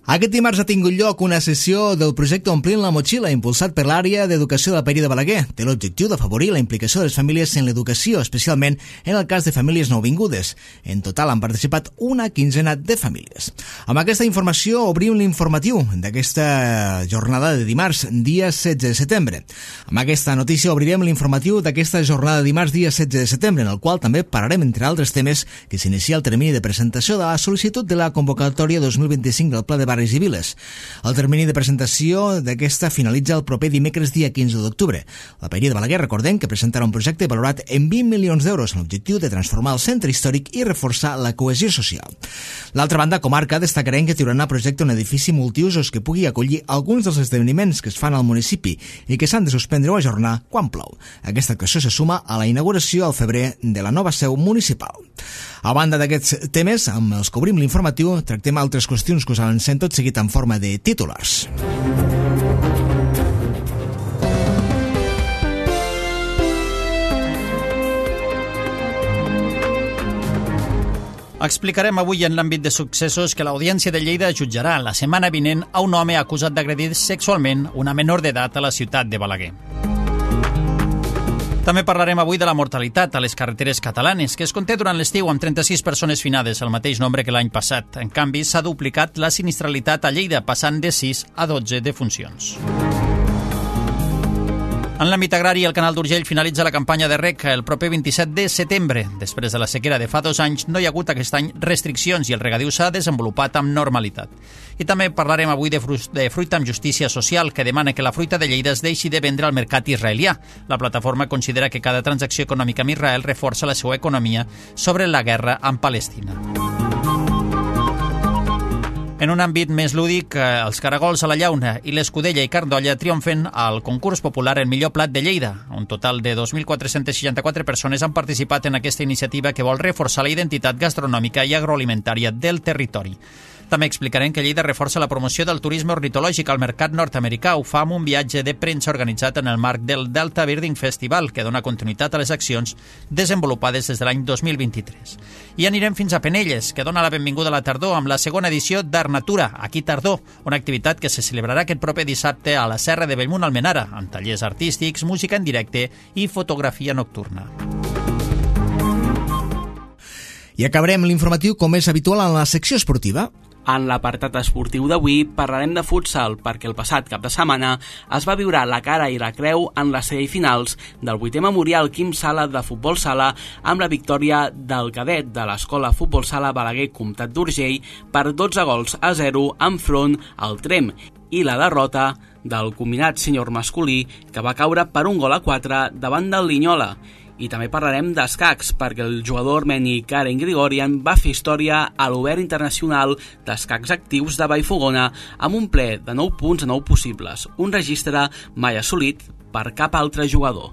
Aquest dimarts ha tingut lloc una sessió del projecte Omplint la Motxilla, impulsat per l'àrea d'educació de la Paeria de Balaguer. Té l'objectiu d'afavorir la implicació de les famílies en l'educació, especialment en el cas de famílies nouvingudes. En total han participat una quinzena de famílies. Amb aquesta informació obrim l'informatiu d'aquesta jornada de dimarts, dia 16 de setembre. Amb aquesta notícia obrirem l'informatiu d'aquesta jornada de dimarts, dia 16 de setembre, en el qual també parlarem, entre altres temes, que s'inicia el termini de presentació de la sol·licitud de la convocatòria 2025 del Pla de Barris i Viles. El termini de presentació d'aquesta finalitza el proper dimecres dia 15 d'octubre. La Paeria de Balaguer, recordem, que presentarà un projecte valorat en 20 milions d'euros amb l'objectiu de transformar el centre històric i reforçar la cohesió social. L'altra banda, comarca, destacarem que Tiurana projecta un edifici multiusos que pugui acollir alguns dels esdeveniments que es fan al municipi i que s'han de suspendre o ajornar quan plou. Aquesta actuació se suma a la inauguració al febrer de la nova seu municipal. A banda d'aquests temes, amb els que obrim l'informatiu, tractem altres qüestions que us avancem tot seguit en forma de titulars. Explicarem avui en l'àmbit de successos que l'Audiència de Lleida jutjarà la setmana vinent a un home acusat d'agredir sexualment una menor d'edat a la ciutat de Balaguer. També parlarem avui de la mortalitat a les carreteres catalanes, que es conté durant l'estiu amb 36 persones finades, el mateix nombre que l'any passat. En canvi, s'ha duplicat la sinistralitat a Lleida, passant de 6 a 12 defuncions. En l'àmbit agrari, el Canal d'Urgell finalitza la campanya de reg el proper 27 de setembre. Després de la sequera de fa 2 anys, no hi ha hagut aquest any restriccions i el regadiu s'ha desenvolupat amb normalitat. I també parlarem avui de fruita amb justícia social, que demana que la fruita de Lleida es deixi de vendre al mercat israelià. La plataforma considera que cada transacció econòmica amb Israel reforça la seva economia sobre la guerra amb Palestina. En un àmbit més lúdic, els caragols a la llauna i l'escudella i carn d'olla triomfen al concurs popular El millor plat de Lleida. Un total de 2.464 persones han participat en aquesta iniciativa que vol reforçar la identitat gastronòmica i agroalimentària del territori. També explicarem que Lleida reforça la promoció del turisme ornitològic al mercat nord-americà. Ho fa amb un viatge de premsa organitzat en el marc del Delta Birding Festival, que dona continuïtat a les accions desenvolupades des de l'any 2023. I anirem fins a Penelles, que dona la benvinguda a la tardor amb la segona edició d'Art Natura, aquí Tardor, una activitat que se celebrarà aquest proper dissabte a la Serra de Bellmunt Almenara, amb tallers artístics, música en directe i fotografia nocturna. I acabarem l'informatiu com és habitual en la secció esportiva. En l'apartat esportiu d'avui parlarem de futsal perquè el passat cap de setmana es va viure la cara i la creu en les semifinals del 8è Memorial Quim Sala de Futbol Sala amb la victòria del cadet de l'Escola Futbol Sala Balaguer Comtat d'Urgell per 12-0 enfront al Trem i la derrota del combinat sènior masculí que va caure per 1-4 davant del Linyola. I també parlarem d'escacs, perquè el jugador armeni Karen Grigorian va fer història a l'Obert Internacional d'Escacs Actius de Vallfogona amb un ple de 9 punts a 9 possibles, un registre mai assolit per cap altre jugador.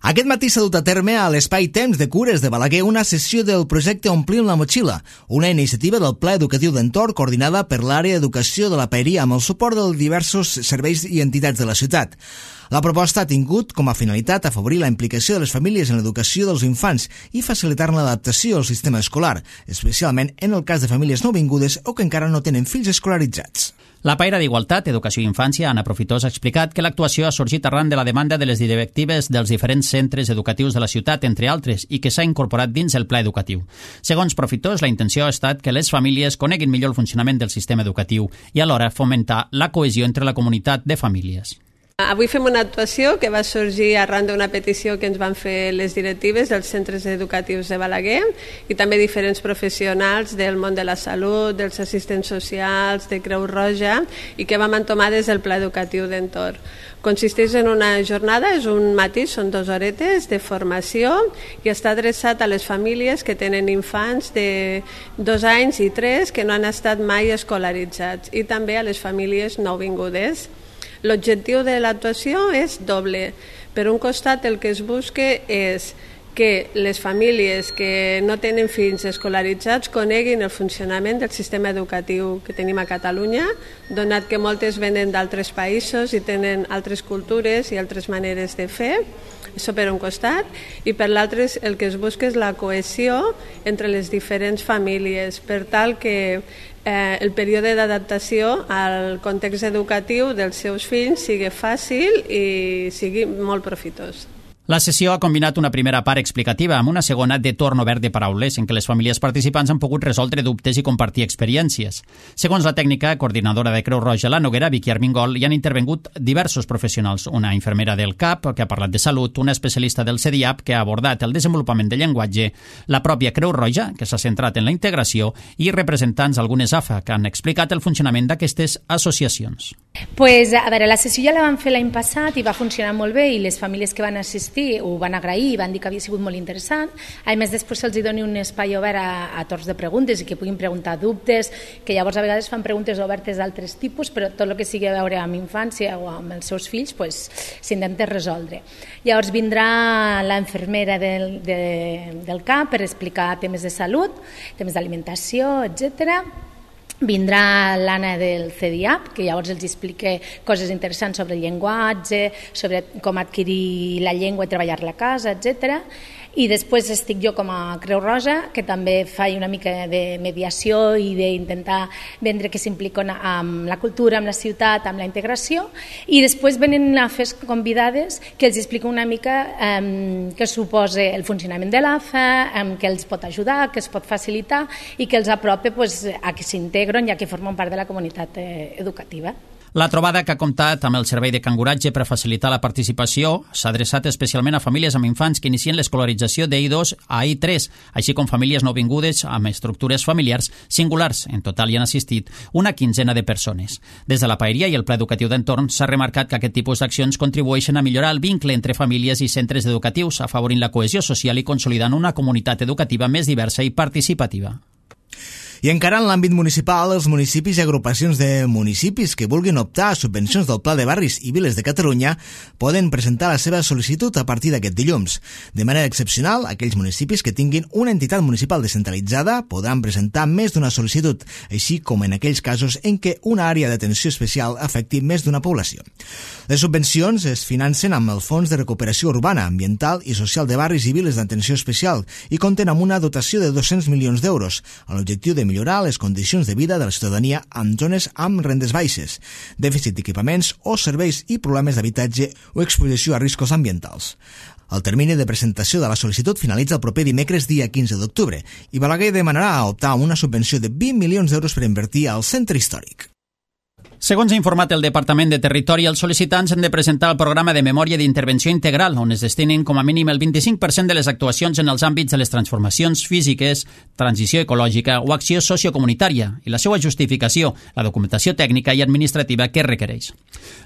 Aquest matí s'ha dut a terme a l'Espai Temps de Cures de Balaguer una sessió del projecte Omplint la Motxilla, una iniciativa del Pla Educatiu d'Entorn coordinada per l'àrea d'educació de la Paeria amb el suport de diversos serveis i entitats de la ciutat. La proposta ha tingut com a finalitat afavorir la implicació de les famílies en l'educació dels infants i facilitar-ne l'adaptació al sistema escolar, especialment en el cas de famílies nouvingudes o que encara no tenen fills escolaritzats. La paira d'Igualtat, Educació i Infància, Anna Profitós, ha explicat que l'actuació ha sorgit arran de la demanda de les directives dels diferents centres educatius de la ciutat, entre altres, i que s'ha incorporat dins el pla educatiu. Segons Profitós, la intenció ha estat que les famílies coneguin millor el funcionament del sistema educatiu i alhora fomentar la cohesió entre la comunitat de famílies. Avui fem una actuació que va sorgir arran d'una petició que ens van fer les directives dels centres educatius de Balaguer i també diferents professionals del món de la salut, dels assistents socials, de Creu Roja i que vam entomar des del Pla Educatiu d'Entorn. Consisteix en una jornada, és un matí, són 2 horetes de formació i està adreçat a les famílies que tenen infants de 2 anys i 3 que no han estat mai escolaritzats i també a les famílies nouvingudes. L'objectiu de l'actuació és doble. Per un costat, el que es busca és que les famílies que no tenen fills escolaritzats coneguin el funcionament del sistema educatiu que tenim a Catalunya, donat que moltes venen d'altres països i tenen altres cultures i altres maneres de fer. Això per un costat, i per l'altre el que es busca és la cohesió entre les diferents famílies, per tal que el període d'adaptació al context educatiu dels seus fills sigui fàcil i sigui molt profitós. La sessió ha combinat una primera part explicativa amb una segona de torn obert de paraules en què les famílies participants han pogut resoldre dubtes i compartir experiències. Segons la tècnica coordinadora de Creu Roja La Noguera, Vicky Armengol, hi han intervingut diversos professionals, una infermera del CAP, que ha parlat de salut, una especialista del CEDIAP, que ha abordat el desenvolupament del llenguatge, la pròpia Creu Roja, que s'ha centrat en la integració, i representants d'algunes AFA, que han explicat el funcionament d'aquestes associacions. Pues, a veure, la sessió ja la vam fer l'any passat i va funcionar molt bé, i les famílies que van assistir ho van agrair i van dir que havia sigut molt interessant. A més, després se'ls doni un espai obert a torns de preguntes i que puguin preguntar dubtes, que llavors a vegades fan preguntes obertes d'altres tipus, però tot el que sigui a veure amb infància o amb els seus fills s'intenta resoldre. Llavors vindrà la infermera del CAP per explicar temes de salut, temes d'alimentació, etcètera. Vindrà l'Anna del CEDIAP, que llavors els explica coses interessants sobre el llenguatge, sobre com adquirir la llengua i treballar-la a casa, etc. I després estic jo com a Creu Roja, que també faig una mica de mediació i d'intentar vendre que s'impliquen amb la cultura, amb la ciutat, amb la integració, i després venen a fer convidades que els explica una mica què suposa el funcionament de l'AFA, què els pot ajudar, què es pot facilitar i que els apropa a que s'integren ja que formen part de la comunitat educativa. La trobada, que ha comptat amb el servei de canguratge per facilitar la participació, s'ha adreçat especialment a famílies amb infants que inicien l'escolarització d'I2 a I3, així com famílies nouvingudes amb estructures familiars singulars. En total hi han assistit una quinzena de persones. Des de la Paeria i el Pla Educatiu d'Entorn s'ha remarcat que aquest tipus d'accions contribueixen a millorar el vincle entre famílies i centres educatius, afavorint la cohesió social i consolidant una comunitat educativa més diversa i participativa. I encara en l'àmbit municipal, els municipis i agrupacions de municipis que vulguin optar a subvencions del Pla de Barris i Viles de Catalunya poden presentar la seva sol·licitud a partir d'aquest dilluns. De manera excepcional, aquells municipis que tinguin una entitat municipal descentralitzada podran presentar més d'una sol·licitud, així com en aquells casos en què una àrea d'atenció especial afecti més d'una població. Les subvencions es financen amb el Fons de Recuperació Urbana, Ambiental i Social de Barris i Viles d'Atenció Especial i compten amb una dotació de 200 milions d'euros, amb l'objectiu de millorar les condicions de vida de la ciutadania en zones amb rendes baixes, dèficit d'equipaments o serveis i problemes d'habitatge o exposició a riscos ambientals. El termini de presentació de la sol·licitud finalitza el proper dimecres dia 15 d'octubre i Balaguer demanarà optar a una subvenció de 20 milions d'euros per invertir al centre històric. Segons ha informat el Departament de Territori, els sol·licitants han de presentar el programa de memòria d'intervenció integral, on es destinin com a mínim el 25% de les actuacions en els àmbits de les transformacions físiques, transició ecològica o acció sociocomunitària, i la seva justificació, la documentació tècnica i administrativa que requereix.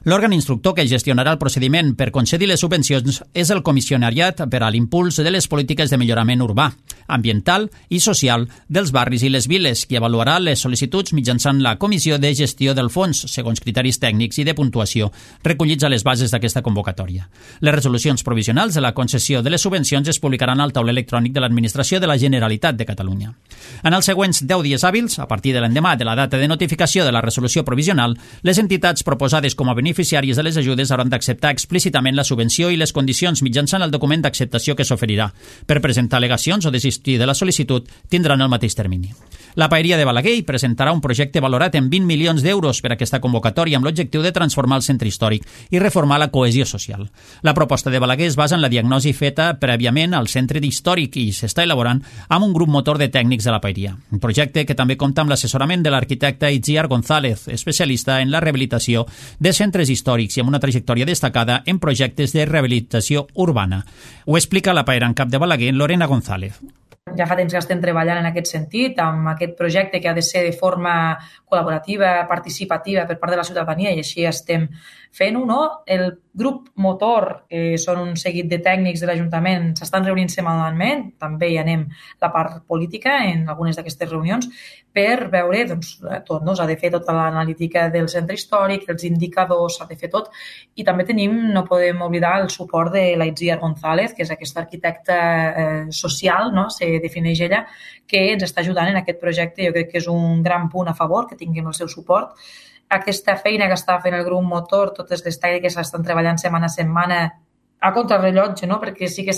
L'òrgan instructor que gestionarà el procediment per concedir les subvencions és el Comissionariat per a l'Impuls de les Polítiques de Millorament Urbà, Ambiental i Social dels Barris i les Viles, qui avaluarà les sol·licituds mitjançant la Comissió de Gestió del Fons, segons criteris tècnics i de puntuació recollits a les bases d'aquesta convocatòria. Les resolucions provisionals de la concessió de les subvencions es publicaran al taulell electrònic de l'Administració de la Generalitat de Catalunya. En els següents 10 dies hàbils, a partir de l'endemà de la data de notificació de la resolució provisional, les entitats proposades com a beneficiàries de les ajudes hauran d'acceptar explícitament la subvenció i les condicions mitjançant el document d'acceptació que s'oferirà. Per presentar al·legacions o desistir de la sol·licitud tindran el mateix termini. La Paeria de Balaguer presentarà un projecte valorat en 20 milions d'euros per a aquesta convocatòria amb l'objectiu de transformar el centre històric i reformar la cohesió social. La proposta de Balaguer es basa en la diagnosi feta prèviament al centre històric i s'està elaborant amb un grup motor de tècnics de la Paeria. Un projecte que també compta amb l'assessorament de l'arquitecte Itziar González, especialista en la rehabilitació de centres històrics i amb una trajectòria destacada en projectes de rehabilitació urbana. Ho explica la paera en cap de Balaguer, Lorena González. Ja fa temps que estem treballant en aquest sentit, amb aquest projecte que ha de ser de forma col·laborativa, participativa per part de la ciutadania, i així estem fent-ho, no? El grup motor, que són un seguit de tècnics de l'Ajuntament, s'estan reunint setmanalment, també hi anem la part política en algunes d'aquestes reunions, per veure tot, s'ha de fer tota l'analítica del centre històric, els indicadors, s'ha de fer tot, i també no podem oblidar el suport de la Itziar González, que és aquesta arquitecta social, se defineix ella, que ens està ajudant en aquest projecte. Jo crec que és un gran punt a favor, que tinguem el seu suport. Aquesta feina que està fent el grup motor, totes les tècniques estan treballant setmana a setmana a contrarrellotge, perquè sí que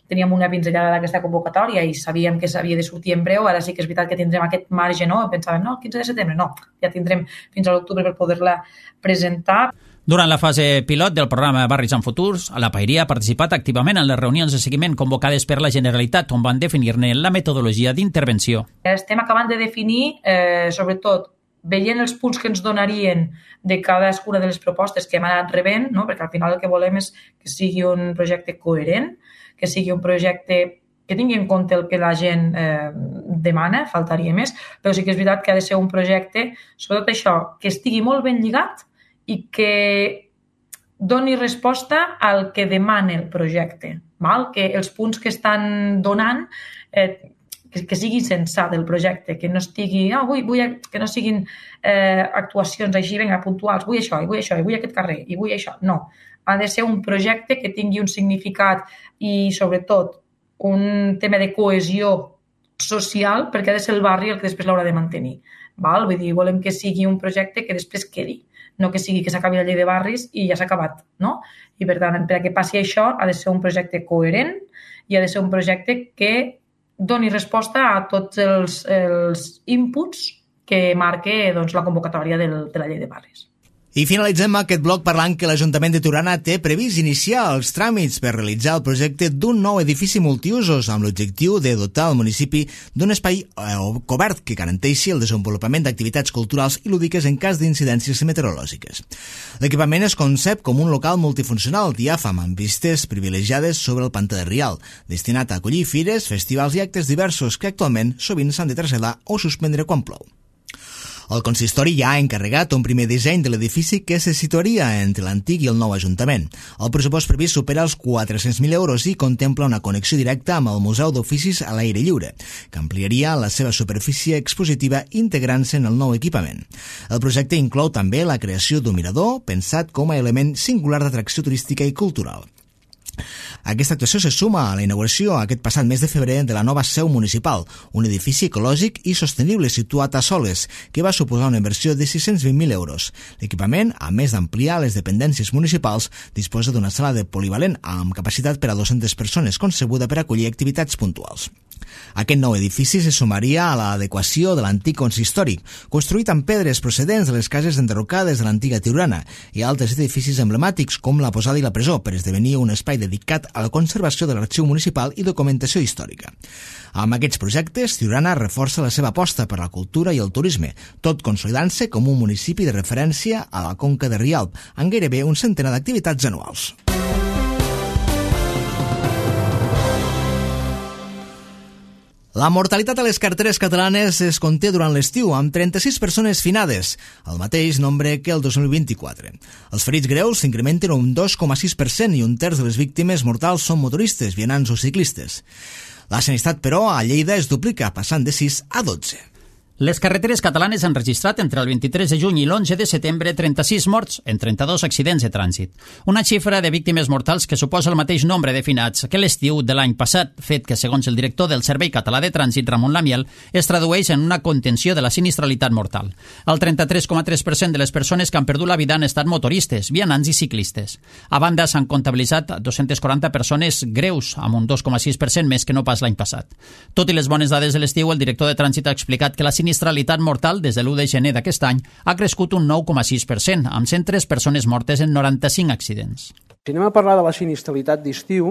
teníem una pinzellada d'aquesta convocatòria i sabíem que s'havia de sortir en breu. Ara sí que és veritat que tindrem aquest marge, pensàvem, el 15 de setembre, ja tindrem fins a l'octubre per poder-la presentar. Durant la fase pilot del programa Barris en Futurs, la Paeria ha participat activament en les reunions de seguiment convocades per la Generalitat, on van definir-ne la metodologia d'intervenció. Estem acabant de definir, sobretot, veient els punts que ens donarien de cadascuna de les propostes que hem anat rebent, perquè al final el que volem és que sigui un projecte coherent, que sigui un projecte que tingui en compte el que la gent demana, faltaria més, però sí que és veritat que ha de ser un projecte, sobretot això, que estigui molt ben lligat i que doni resposta al que demana el projecte, que els punts que estan donant que sigui sensat el projecte, que no estigui, que no siguin actuacions així, puntuals, vull això, i vull aquest carrer, i vull això. No, ha de ser un projecte que tingui un significat i, sobretot, un tema de cohesió social, perquè ha de ser el barri el que després l'haurà de mantenir. Vull dir, volem que sigui un projecte que després quedi, no que sigui que s'acabi la llei de barris i ja s'ha acabat, I, per tant, perquè passi això, ha de ser un projecte coherent i ha de ser un projecte que doni resposta a tots els inputs que marca la convocatòria de la llei de barris. I finalitzem aquest bloc parlant que l'Ajuntament de Tiurana té previst iniciar els tràmits per realitzar el projecte d'un nou edifici multiusos amb l'objectiu de dotar el municipi d'un espai cobert que garanteixi el desenvolupament d'activitats culturals i lúdiques en cas d'incidències meteorològiques. L'equipament es concep com un local multifuncional diàfam amb vistes privilegiades sobre el pantà de Rial, destinat a acollir fires, festivals i actes diversos que actualment sovint s'han de traslladar o suspendre quan plou. El consistori ja ha encarregat un primer disseny de l'edifici que se situaria entre l'antic i el nou Ajuntament. El pressupost previst supera els 400.000 euros i contempla una connexió directa amb el Museu d'Oficis a l'aire lliure, que ampliaria la seva superfície expositiva integrant-se en el nou equipament. El projecte inclou també la creació d'un mirador, pensat com a element singular d'atracció turística i cultural. Aquesta actuació se suma a la inauguració aquest passat mes de febrer de la nova seu municipal, un edifici ecològic i sostenible situat a Soles, que va suposar una inversió de 620.000 euros. L'equipament, a més d'ampliar les dependències municipals, disposa d'una sala de polivalent amb capacitat per a 200 persones, concebuda per acollir activitats puntuals. Aquest nou edifici se sumaria a l'adequació de l'antic consistori, construït amb pedres procedents de les cases enderrocades de l'antiga Tiurana, i altres edificis emblemàtics com la Posada i la Presó, per esdevenir un espai dedicat a la conservació de l'arxiu municipal i documentació històrica. Amb aquests projectes, Tiurana reforça la seva aposta per la cultura i el turisme, tot consolidant-se com un municipi de referència a la Conca de Rialb, amb gairebé un centenar d'activitats anuals. La mortalitat a les carreteres catalanes es conté durant l'estiu, amb 36 persones finades, el mateix nombre que el 2024. Els ferits greus s'incrementen un 2,6% i un terç de les víctimes mortals són motoristes, vianants o ciclistes. La sinistralitat, però, a Lleida es duplica, passant de 6 a 12. Les carreteres catalanes han registrat entre el 23 de juny i l'11 de setembre 36 morts en 32 accidents de trànsit. Una xifra de víctimes mortals que suposa el mateix nombre de finats que l'estiu de l'any passat, fet que, segons el director del Servei Català de Trànsit, Ramon Lamiel, es tradueix en una contenció de la sinistralitat mortal. El 33,3% de les persones que han perdut la vida han estat motoristes, vianants i ciclistes. A banda, s'han comptabilitzat 240 persones greus, amb un 2,6% més que no pas l'any passat. Tot i les bones dades de l'estiu, el director de Trànsit ha explicat que la sinistralitat mortal des de l'1 de gener d'aquest any ha crescut un 9,6%, amb 103 persones mortes en 95 accidents. Si anem a parlar de la sinistralitat d'estiu,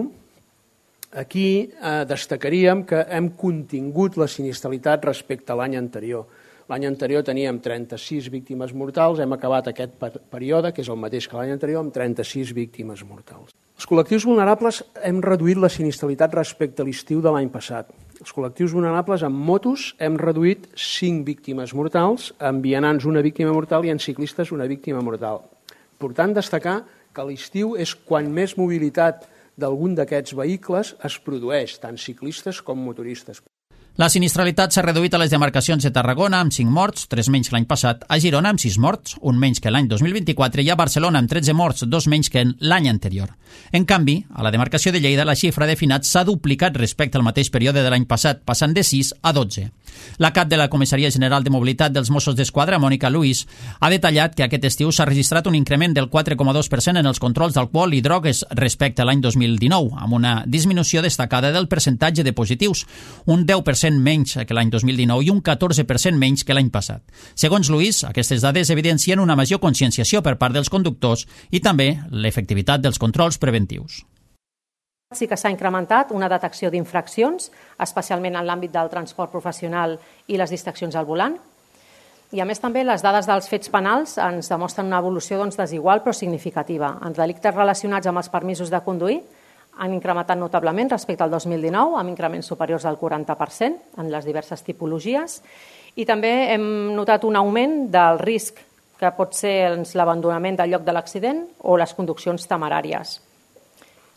aquí destacaríem que hem contingut la sinistralitat respecte a l'any anterior. L'any anterior teníem 36 víctimes mortals, hem acabat aquest període, que és el mateix que l'any anterior, amb 36 víctimes mortals. Els col·lectius vulnerables hem reduït la sinistralitat respecte a l'estiu de l'any passat. Els col·lectius vulnerables amb motos hem reduït 5 víctimes mortals, amb vianants una víctima mortal i en ciclistes una víctima mortal. Important destacar que a l'estiu és quan més mobilitat d'algun d'aquests vehicles es produeix, tant ciclistes com motoristes. La sinistralitat s'ha reduït a les demarcacions de Tarragona, amb 5 morts, 3 menys que l'any passat, a Girona, amb 6 morts, 1 menys que l'any 2024, i a Barcelona, amb 13 morts, 2 menys que l'any anterior. En canvi, a la demarcació de Lleida, la xifra de finats s'ha duplicat respecte al mateix període de l'any passat, passant de 6 a 12. La cap de la Comissaria General de Mobilitat dels Mossos d'Esquadra, Mònica Luis, ha detallat que aquest estiu s'ha registrat un increment del 4,2% en els controls d'alcohol i drogues respecte a l'any 2019, amb una disminució destacada del percentatge de positius, un 10% menys que l'any 2019 i un 14% menys que l'any passat. Segons Luis, aquestes dades evidencien una major conscienciació per part dels conductors i també l'efectivitat dels controls preventius. Sí que s'ha incrementat una detecció d'infraccions, especialment en l'àmbit del transport professional i les distraccions al volant. I a més també les dades dels fets penals ens demostren una evolució desigual però significativa. Els delictes relacionats amb els permisos de conduir han incrementat notablement respecte al 2019, amb increments superiors al 40% en les diverses tipologies, i també hem notat un augment del risc que pot ser l'abandonament del lloc de l'accident o les conduccions temeràries.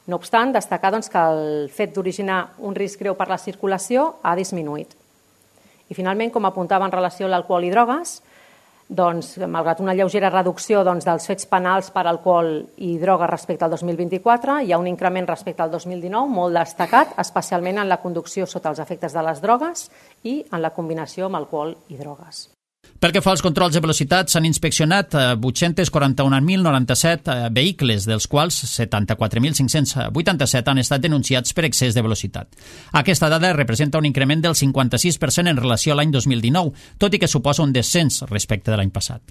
No obstant, destacar que el fet d'originar un risc greu per la circulació ha disminuït. I finalment, com apuntava en relació a l'alcohol i drogues, malgrat una lleugera reducció dels fets penals per alcohol i drogues respecte al 2024, hi ha un increment respecte al 2019 molt destacat, especialment en la conducció sota els efectes de les drogues i en la combinació amb alcohol i drogues. Pel que fa als controls de velocitat, s'han inspeccionat 841.097 vehicles, dels quals 74.587 han estat denunciats per excés de velocitat. Aquesta dada representa un increment del 56% en relació a l'any 2019, tot i que suposa un descens respecte de l'any passat.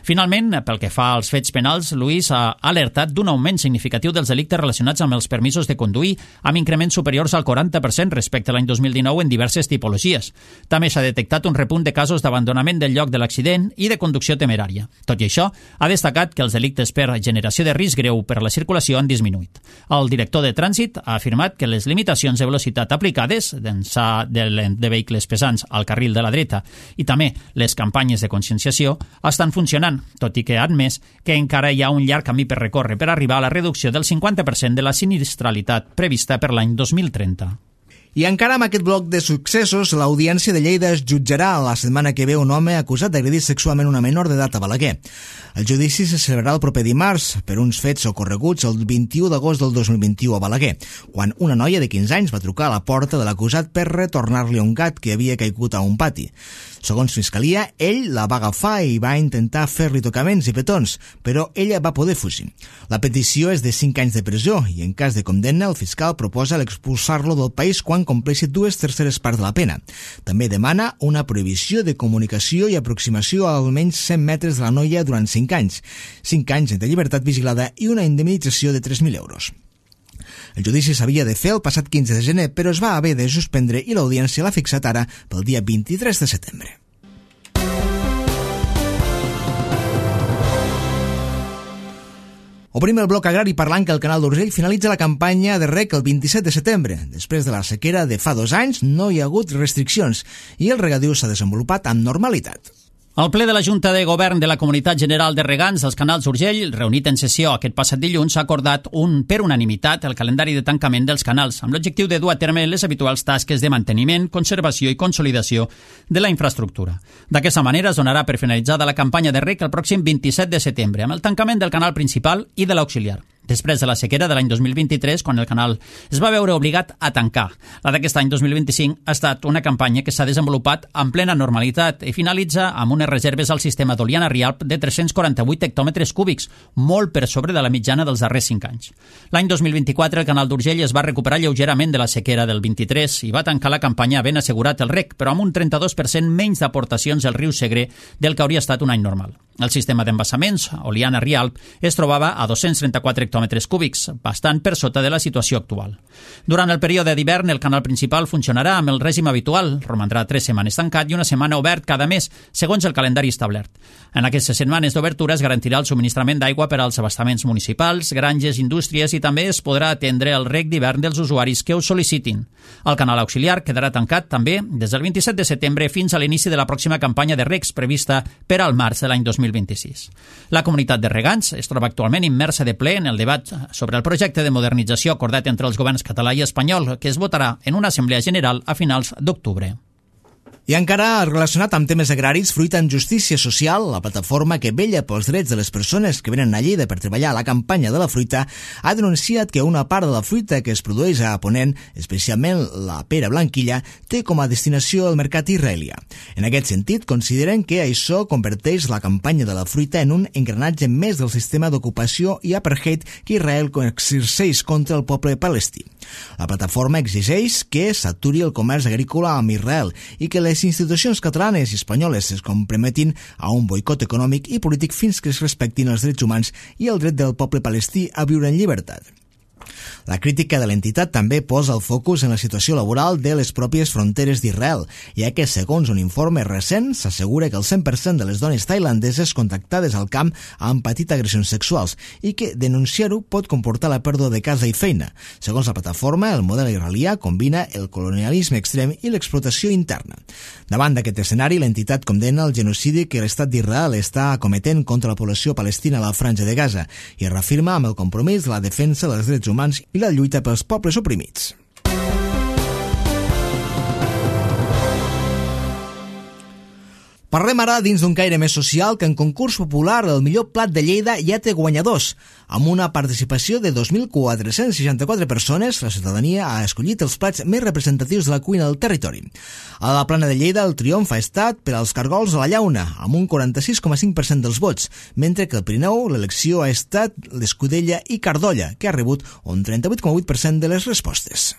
Finalment, pel que fa als fets penals, Luis ha alertat d'un augment significatiu dels delictes relacionats amb els permisos de conduir, amb increments superiors al 40% respecte a l'any 2019 en diverses tipologies. També s'ha detectat un repunt de casos d'abandonament del lloc de l'accident i de conducció temerària. Tot i això, ha destacat que els delictes per generació de risc greu per a la circulació han disminuït. El director de Trànsit ha afirmat que les limitacions de velocitat aplicades, d'ençà de vehicles pesants al carril de la dreta i també les campanyes de conscienciació, estan funcionant, tot i que ha admès que encara hi ha un llarg camí per recórrer per arribar a la reducció del 50% de la sinistralitat prevista per l'any 2030. I encara amb aquest bloc de successos, l'Audiència de Lleida es jutjarà la setmana que ve un home acusat d'agredir sexualment una menor d'edat a Balaguer. El judici se celebrarà el proper dimarts per uns fets ocorreguts el 21 d'agost del 2021 a Balaguer, quan una noia de 15 anys va trucar a la porta de l'acusat per retornar-li un gat que havia caigut a un pati. Segons Fiscalia, ell la va agafar i va intentar fer-li tocaments i petons, però ella va poder fugir. La petició és de 5 anys de presó i en cas de condemna el fiscal proposa l'expulsar-lo del país quan compleixi 2/3 parts de la pena. També demana una prohibició de comunicació i aproximació a almenys 100 metres de la noia durant 5 anys, 5 anys de llibertat vigilada i una indemnització de 3.000 euros. El judici s'havia de fer el passat 15 de gener, però es va haver de suspendre i l'audiència l'ha fixat ara pel dia 23 de setembre. Obrim el bloc agrari parlant que el Canal d'Urgell finalitza la campanya de reg el 27 de setembre. Després de la sequera de fa 2 anys no hi ha hagut restriccions i el regadiu s'ha desenvolupat amb normalitat. El ple de la Junta de Govern de la Comunitat General de Regants dels Canals d'Urgell, reunit en sessió aquest passat dilluns, ha acordat per unanimitat el calendari de tancament dels canals, amb l'objectiu de dur a terme les habituals tasques de manteniment, conservació i consolidació de la infraestructura. D'aquesta manera es donarà per finalitzada la campanya de reg el pròxim 27 de setembre, amb el tancament del canal principal i de l'auxiliar. Després de la sequera de l'any 2023, quan el canal es va veure obligat a tancar. La d'aquest any 2025 ha estat una campanya que s'ha desenvolupat en plena normalitat i finalitza amb unes reserves al sistema d'Oliana-Rialp de 348 hectòmetres cúbics, molt per sobre de la mitjana dels darrers 5 anys. L'any 2024 el canal d'Urgell es va recuperar lleugerament de la sequera del 23 i va tancar la campanya ben assegurat el reg, però amb un 32% menys d'aportacions al riu Segre del que hauria estat un any normal. El sistema d'embassaments, Oliana-Rialp, es trobava a 234 hectòmetres cúbics, bastant per sota de la situació actual. Durant el període d'hivern, el canal principal funcionarà amb el règim habitual, romandrà 3 setmanes tancat i una setmana obert cada mes, segons el calendari establert. En aquestes setmanes d'obertura es garantirà el subministrament d'aigua per als abastaments municipals, granges, indústries i també es podrà atendre el reg d'hivern dels usuaris que ho sol·licitin. El canal auxiliar quedarà tancat també des del 27 de setembre fins a l'inici de la pròxima campanya de regs prevista per al març de l'any 2026. La comunitat de regants es troba actualment immersa de ple en el debat sobre el projecte de modernització acordat entre els governs català i espanyol, que es votarà en una assemblea general a finals d'octubre. I encara relacionat amb temes agraris, Fruita en Justícia Social, la plataforma que vetlla pels drets de les persones que venen a Lleida per treballar a la campanya de la fruita, ha denunciat que una part de la fruita que es produeix a Ponent, especialment la pera blanquilla, té com a destinació el mercat israelià. En aquest sentit, consideren que això converteix la campanya de la fruita en un engranatge més del sistema d'ocupació i apartheid que Israel exerceix contra el poble palestí. La plataforma exigeix que s'aturi el comerç agrícola amb Israel i que les institucions catalanes i espanyoles es comprometin a un boicot econòmic i polític fins que es respectin els drets humans i el dret del poble palestí a viure en llibertat. La crítica de l'entitat també posa el focus en la situació laboral de les pròpies fronteres d'Israel, ja que, segons un informe recent, s'assegura que el 100% de les dones tailandeses contactades al camp han patit agressions sexuals i que denunciar-ho pot comportar la pèrdua de casa i feina. Segons la plataforma, el model israelià combina el colonialisme extrem i l'explotació interna. Davant d'aquest escenari, l'entitat condemna el genocidi que l'estat d'Israel està cometent contra la població palestina a la Franja de Gaza i es reafirma amb el compromís de la defensa dels drets humans i la lluita pels pobles oprimits. Parlem ara dins d'un caire més social que en concurs popular el millor plat de Lleida ja té guanyadors. Amb una participació de 2.464 persones, la ciutadania ha escollit els plats més representatius de la cuina del territori. A la Plana de Lleida el triomf ha estat per als cargols a la llauna, amb un 46,5% dels vots, mentre que al Pirineu l'elecció ha estat l'escudella i cardolla, que ha rebut un 38,8% de les respostes.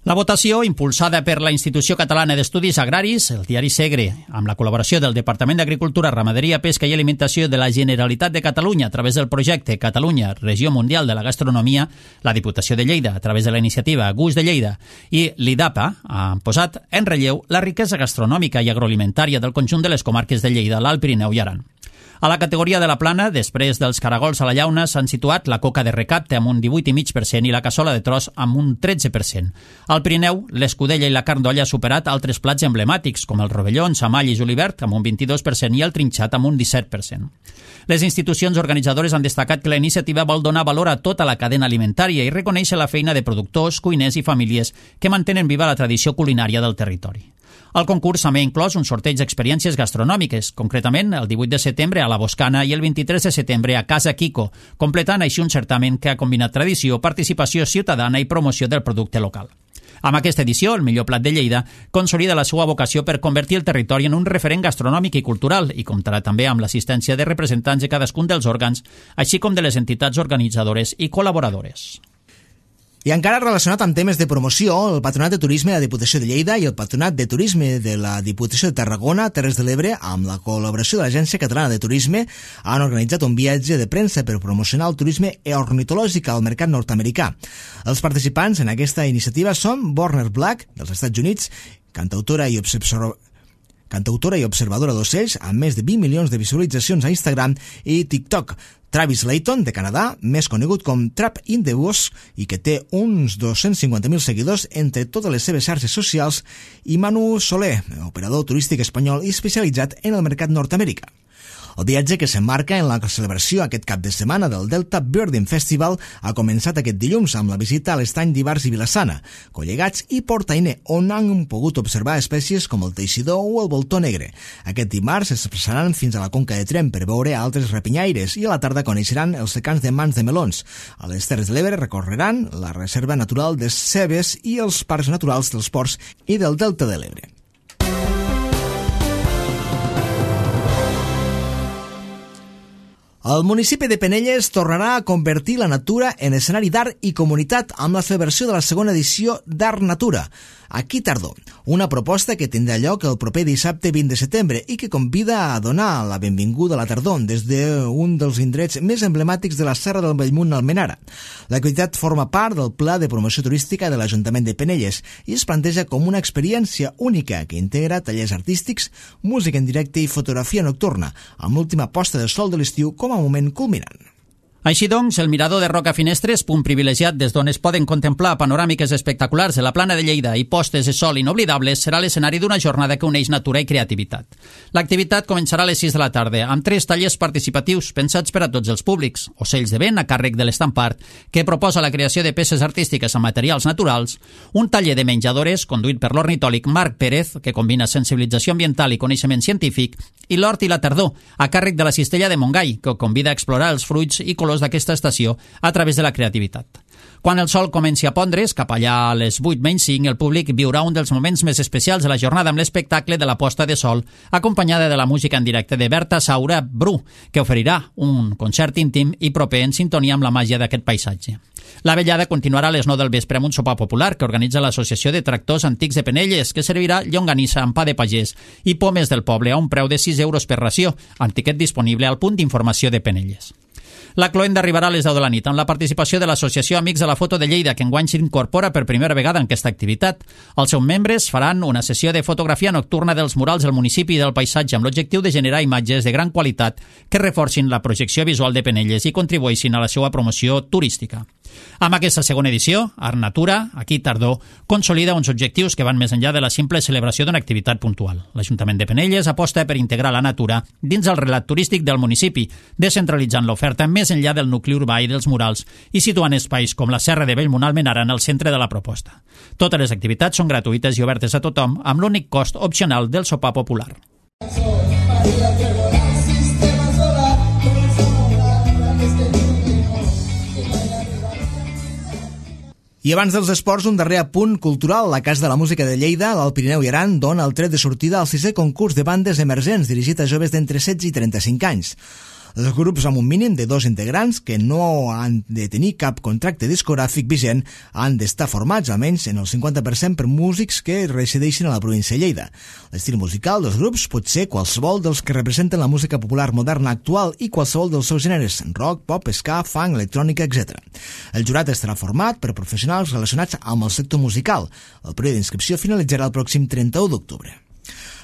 La votació, impulsada per la Institució Catalana d'Estudis Agraris, el diari Segre, amb la col·laboració del Departament d'Agricultura, Ramaderia, Pesca i Alimentació de la Generalitat de Catalunya a través del projecte Catalunya, Regió Mundial de la Gastronomia, la Diputació de Lleida, a través de la iniciativa Gust de Lleida, i l'IDAPA, han posat en relleu la riquesa gastronòmica i agroalimentària del conjunt de les comarques de Lleida, l'Alt Pirineu i Aran. A la categoria de la plana, després dels caragols a la llauna, s'han situat la coca de recapte amb un 18,5% i la cassola de tros amb un 13%. Al Pirineu, l'escudella i la carn d'olla ha superat altres plats emblemàtics, com el rovelló, samall i julivert, amb un 22% i el trinxat amb un 17%. Les institucions organitzadores han destacat que la iniciativa vol donar valor a tota la cadena alimentària i reconèixer la feina de productors, cuiners i famílies que mantenen viva la tradició culinària del territori. El concurs també ha inclòs un sorteig d'experiències gastronòmiques, concretament el 18 de setembre a la Boscana i el 23 de setembre a Casa Quico, completant així un certamen que ha combinat tradició, participació ciutadana i promoció del producte local. Amb aquesta edició, el millor plat de Lleida consolida la seva vocació per convertir el territori en un referent gastronòmic i cultural i comptarà també amb l'assistència de representants de cadascun dels òrgans, així com de les entitats organitzadores i col·laboradores. I encara relacionat amb temes de promoció, el Patronat de Turisme de la Diputació de Lleida i el Patronat de Turisme de la Diputació de Tarragona, Terres de l'Ebre, amb la col·laboració de l'Agència Catalana de Turisme, han organitzat un viatge de premsa per promocionar el turisme ornitològic al mercat nord-americà. Els participants en aquesta iniciativa són Warner Black, dels Estats Units, cantautora i observadora d'ocells, amb més de 20 milions de visualitzacions a Instagram i TikTok. Travis Layton, de Canadà, més conegut com Trap in the Bush i que té uns 250.000 seguidors entre totes les seves xarxes socials, i Manu Soler, operador turístic espanyol i especialitzat en el mercat nord-americà. El viatge, que s'emmarca en la celebració aquest cap de setmana del Delta Birding Festival, ha començat aquest dilluns amb la visita a l'estany d'Ivars i Vilassana, Collegats i Portainer, on han pogut observar espècies com el teixidor o el voltó negre. Aquest dimarts es passaran fins a la Conca de Tremp per veure altres rapinyaires i a la tarda coneixeran els secans de mans de melons. A les Terres de l'Ebre recorreran la Reserva Natural de Cebes i els parcs naturals dels Ports i del Delta de l'Ebre. El municipi de Penelles tornarà a convertir la natura en escenari d'art i comunitat amb la celebració de la segona edició d'Art Natura, aquí tardor, una proposta que tindrà lloc el proper dissabte 20 de setembre i que convida a donar la benvinguda a la tardor des d'un dels indrets més emblemàtics de la Serra del Bellmunt Almenara. L'activitat forma part del Pla de Promoció Turística de l'Ajuntament de Penelles i es planteja com una experiència única que integra tallers artístics, música en directe i fotografia nocturna, amb l'última posta de sol de l'estiu com a moment culminant. Així doncs, el mirador de Roca Finestres, punt privilegiat des d'on es poden contemplar panoràmiques espectaculars de la plana de Lleida i postes de sol inoblidables, serà l'escenari d'una jornada que uneix natura i creativitat. L'activitat començarà a les 6 de la tarda, amb 3 tallers participatius pensats per a tots els públics, ocells de vent a càrrec de l'Estampart, que proposa la creació de peces artístiques amb materials naturals, un taller de menjadores conduït per l'ornitòleg Marc Pérez, que combina sensibilització ambiental i coneixement científic, i l'hort i la tardor, a càrrec de la Cistella de Montgai, que convida a explorar els fruits i colors d'aquesta estació a través de la creativitat. Quan el sol comenci a pondre's, cap allà a les 8:05, el públic viurà un dels moments més especials de la jornada amb l'espectacle de la posta de sol, acompanyada de la música en directe de Berta Saura Bru, que oferirà un concert íntim i proper en sintonia amb la màgia d'aquest paisatge. La vetllada continuarà a les 9 del vespre amb un sopar popular que organitza l'Associació de Tractors Antics de Penelles, que servirà llonganissa amb pa de pagès i pomes del poble a un preu de 6 euros per ració, amb tiquet disponible al punt d'informació de Penelles. La cloenda arribarà a les 10 de la nit amb la participació de l'Associació Amics de la Foto de Lleida, que enguany s'incorpora per primera vegada en aquesta activitat. Els seus membres faran una sessió de fotografia nocturna dels murals del municipi i del paisatge amb l'objectiu de generar imatges de gran qualitat que reforcin la projecció visual de Penelles i contribueixin a la seva promoció turística. Amb aquesta segona edició, Art Natura, aquí Tardor, consolida uns objectius que van més enllà de la simple celebració d'una activitat puntual. L'Ajuntament de Penelles aposta per integrar la natura dins el relat turístic del municipi, descentralitzant l'oferta més enllà del nucli urbà i dels murals i situant espais com la Serra de Bellmunt-Almenara en el centre de la proposta. Totes les activitats són gratuïtes i obertes a tothom, amb l'únic cost opcional del sopar popular. I abans dels esports, un darrer apunt cultural. La Casa de la Música de Lleida, l'Alt Pirineu i Aran, dona el tret de sortida al 6è concurs de bandes emergents dirigit a joves d'entre 16 i 35 anys. Els grups amb un mínim de 2 integrants que no han de tenir cap contracte discogràfic vigent han d'estar formats almenys en el 50% per músics que resideixen a la província de Lleida. L'estil musical dels grups pot ser qualsevol dels que representen la música popular moderna actual i qualsevol dels seus gèneres, rock, pop, ska, funk, electrònica, etc. El jurat estarà format per professionals relacionats amb el sector musical. El període d'inscripció finalitzarà el pròxim 31 d'octubre.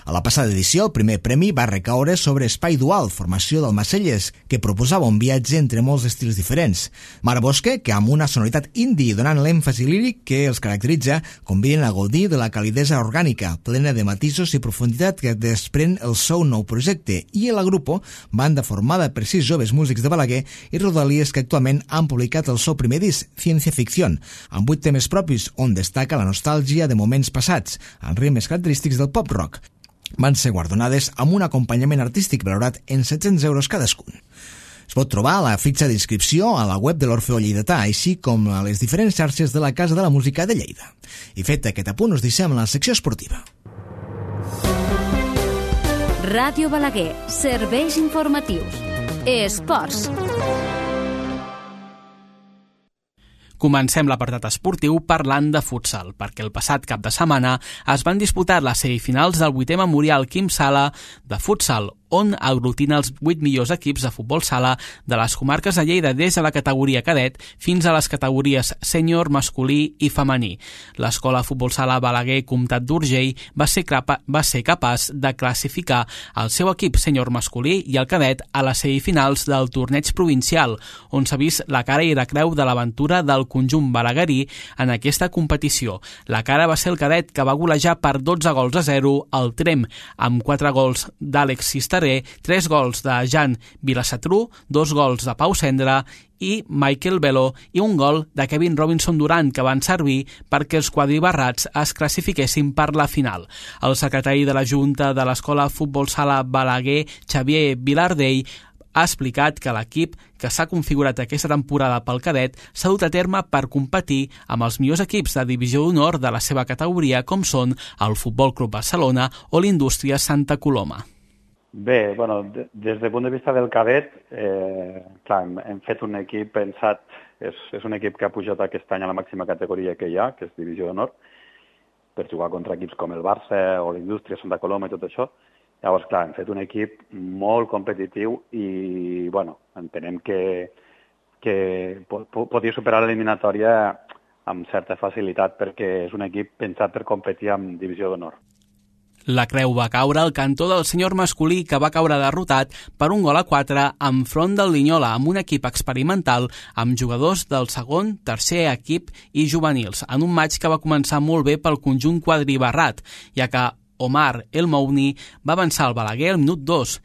A la passada edició, el primer premi va recaure sobre Espai Dual, formació del Macelles, que proposava un viatge entre molts estils diferents. Mar Bosque, que amb una sonoritat indie donant l'èmfasi líric que els caracteritza, conviden a gaudir de la calidesa orgànica, plena de matisos i profunditat que desprèn el seu nou projecte, i el Agrupo, banda formada per 6 joves músics de Balaguer i rodalies que actualment han publicat el seu primer disc, Ciència Ficción, amb 8 temes propis on destaca la nostàlgia de moments passats, amb ritmes característics del pop-rock. Van ser guardonades amb un acompanyament artístic valorat en 700 euros cadascun. Es pot trobar la fitxa d'inscripció a la web de l'Orfeó Lleidatà, així com a les diferents xarxes de la Casa de la Música de Lleida. I fet aquest apunt, us deixem a la secció esportiva. Ràdio Balaguer, serveis informatius. Esports. Comencem l'apartat esportiu parlant de futsal, perquè el passat cap de setmana es van disputar les semifinals del 8è Memorial Quim Sala de futsal, on aglutina els 8 millors equips de futbol sala de les comarques de Lleida des de la categoria cadet fins a les categories sènior, masculí i femení. L'escola futbol sala Balaguer Comtat d'Urgell va ser capaç de classificar el seu equip sènior masculí i el cadet a les semifinals del torneig provincial, on s'ha vist la cara i la creu de l'aventura del conjunt balaguerí en aquesta competició. La cara va ser el cadet, que va golejar per 12-0 el Trem, amb 4 gols d'Àlex Cisteré, 3 gols de Jan Vilassatru, 2 gols de Pau Cendra i Michael Velo i un gol de Kevin Robinson Durant, que van servir perquè els quadribarrats es classifiquessin per la final. El secretari de la Junta de l'Escola Futbol Sala Balaguer, Xavier Vilardell, ha explicat que l'equip que s'ha configurat aquesta temporada pel cadet s'ha dut a terme per competir amb els millors equips de divisió d'honor de la seva categoria, com són el Futbol Club Barcelona o l'Indústria Santa Coloma. Bé, bueno, des del punt de vista del cadet, clar, hem fet un equip pensat, és un equip que ha pujat aquest any a la màxima categoria que hi ha, que és divisió d'honor, per jugar contra equips com el Barça o l'Indústria Santa Coloma i tot això. Llavors, clar, hem fet un equip molt competitiu i, bueno, entenem que podia superar l'eliminatòria amb certa facilitat perquè és un equip pensat per competir amb divisió d'honor. La creu va caure al cantó del senyor masculí, que va caure derrotat per 1-4 enfront del Linyola, amb un equip experimental amb jugadors del segon, tercer equip i juvenils, en un maig que va començar molt bé pel conjunt quadribarrat, ja que Omar El Mouni va avançar el Balaguer al minut 2.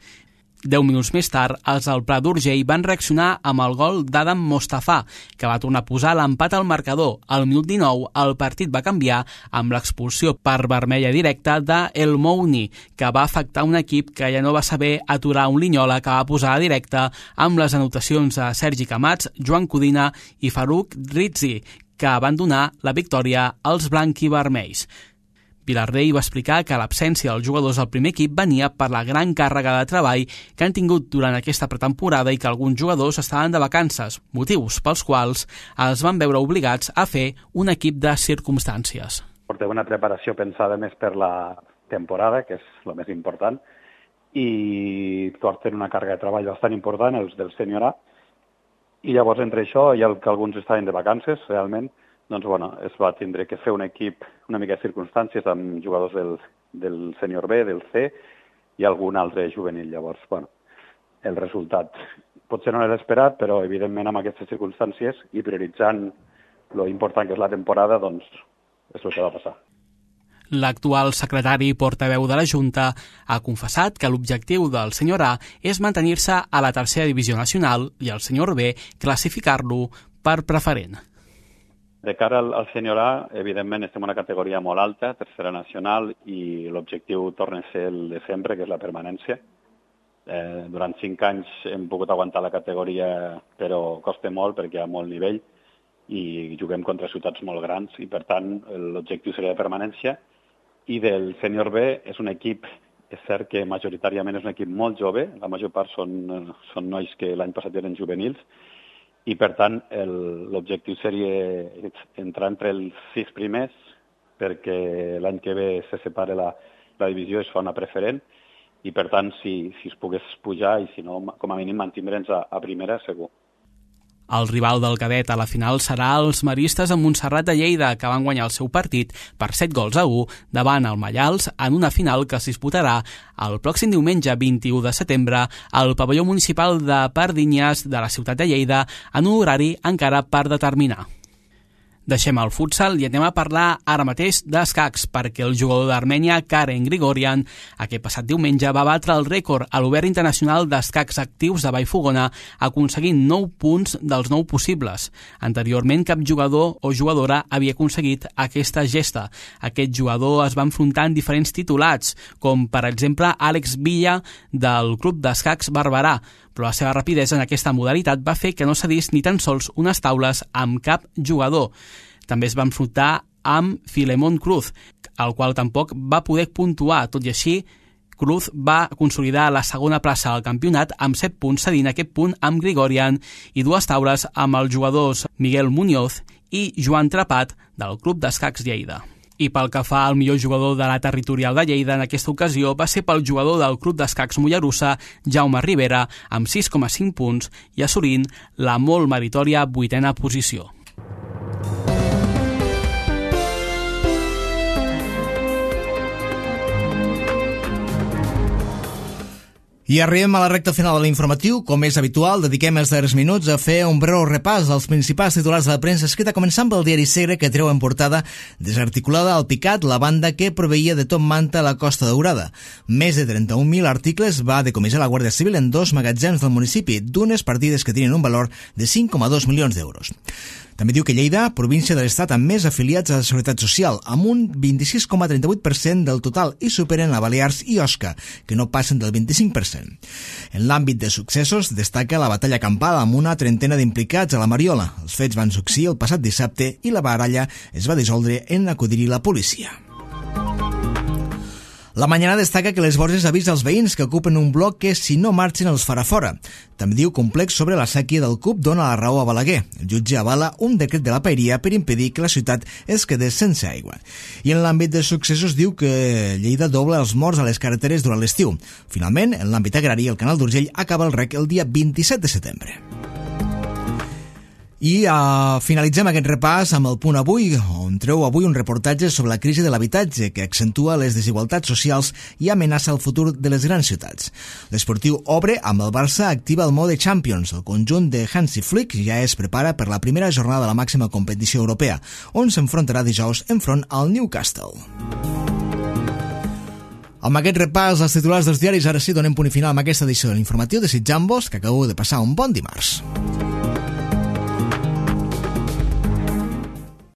10 minuts més tard, els del Prat d'Urgell van reaccionar amb el gol d'Adam Mostafa, que va tornar a posar l'empat al marcador. Al minut 19, el partit va canviar amb l'expulsió per vermella directa d'El Mouni, que va afectar un equip que ja no va saber aturar un Linyola que va posar a directa amb les anotacions de Sergi Camats, Joan Codina i Farouk Rizzi, que van donar la victòria als blanc-i-vermells. Vilarrey va explicar que l'absència dels jugadors del primer equip venia per la gran càrrega de treball que han tingut durant aquesta pretemporada i que alguns jugadors estaven de vacances, motius pels quals es van veure obligats a fer un equip de circumstàncies. Portem una preparació pensada més per la temporada, que és el més important, i porten una càrrega de treball bastant important, els del sènior A, i llavors entre això i el que alguns estaven de vacances, realment, doncs, es va tindre que fer un equip una mica de circumstàncies amb jugadors del sènior B, del C i algun altre juvenil. Llavors, el resultat potser no l'he esperat, però evidentment amb aquestes circumstàncies i prioritzant lo important que és la temporada, doncs és el que va passar. L'actual secretari i portaveu de la Junta ha confessat que l'objectiu del senyor A és mantenir-se a la tercera divisió nacional i el senyor B classificar-lo per preferent. De cara al sènior A, evidentment estem en una categoria molt alta, tercera nacional, i l'objectiu torna a ser el de sempre, que és la permanència. Durant 5 anys hem pogut aguantar la categoria, però costa molt perquè hi ha molt nivell i juguem contra ciutats molt grans i, per tant, l'objectiu seria de permanència. I del sènior B és un equip, és cert que majoritàriament és un equip molt jove, la major part són nois que l'any passat eren juvenils, i per tant l'objectiu seria entrar entre els 6 primers perquè l'any que ve se separa la divisió i es fa una preferent i per tant si es pogués pujar i si no com a mínim mantindre'ns a primera segur. El rival del cadet a la final serà els maristes de Montserrat de Lleida, que van guanyar el seu partit per 7-1 davant el Mallals en una final que es disputarà el pròxim diumenge 21 de setembre al pavelló municipal de Pardinyes de la ciutat de Lleida en un horari encara per determinar. Deixem el futsal i anem a parlar ara mateix d'escacs, perquè el jugador d'Armènia, Karen Grigorian, aquest passat diumenge va batre el rècord a l'Obert Internacional d'Escacs Actius de Vallfogona, aconseguint 9 punts dels 9 possibles. Anteriorment, cap jugador o jugadora havia aconseguit aquesta gesta. Aquest jugador es va enfrontar en diferents titulats, com per exemple Àlex Villa del Club d'Escacs Barberà, però la seva rapidesa en aquesta modalitat va fer que no cedís ni tan sols unes taules amb cap jugador. També es va enfrontar amb Filemón Cruz, el qual tampoc va poder puntuar. Tot i així, Cruz va consolidar la segona plaça del campionat amb 7 punts, cedint aquest punt amb Grigorian i 2 taules amb els jugadors Miguel Muñoz i Joan Trapat del Club d'Escacs Lleida. I pel que fa al millor jugador de la territorial de Lleida en aquesta ocasió va ser pel jugador del Club d'Escacs Mollerussa, Jaume Rivera, amb 6,5 punts i assolint la molt meritòria 8a posició. I arribem a la recta final de l'informatiu. Com és habitual, dediquem els darrers minuts a fer un breu repàs dels principals titulars de la premsa escrita, començant pel diari Segre, que treu en portada desarticulada al Picat, la banda que proveïa de Top Manta a la Costa Daurada. Més de 31.000 articles va decomissar la Guàrdia Civil en 2 magatzems del municipi, d'unes partides que tenien un valor de 5,2 milions d'euros. També diu que Lleida, província de l'Estat amb més afiliats a la Seguretat Social, amb un 26,38% del total, i superen la Balears i Osca, que no passen del 25%. En l'àmbit de successos destaca la batalla campal amb una trentena d'implicats a la Mariola. Els fets van succeir el passat dissabte i la baralla es va dissoldre en acudir-hi la policia. La Mañana destaca que les Borges avisa als veïns que ocupen un bloc que, si no marxen, els farà fora. També diu que un plec sobre la sèquia del CUP dona la raó a Balaguer. El jutge avala un decret de la paeria per impedir que la ciutat es quedés sense aigua. I en l'àmbit de successos diu que Lleida dobla els morts a les carreteres durant l'estiu. Finalment, en l'àmbit agrari, el Canal d'Urgell acaba el rec el dia 27 de setembre. I finalitzem aquest repàs amb el Punt Avui, on treu avui un reportatge sobre la crisi de l'habitatge que accentua les desigualtats socials i amenaça el futur de les grans ciutats. L'esportiu obre amb el Barça activa el mode Champions. El conjunt de Hansi Flick ja es prepara per la primera jornada de la màxima competició europea, on s'enfrontarà dijous enfront al Newcastle. Amb aquest repàs als titulars dels diaris, ara sí donem punt final amb aquesta edició de l'informatiu, desitjant-vos que acabeu de passar un bon dimarts.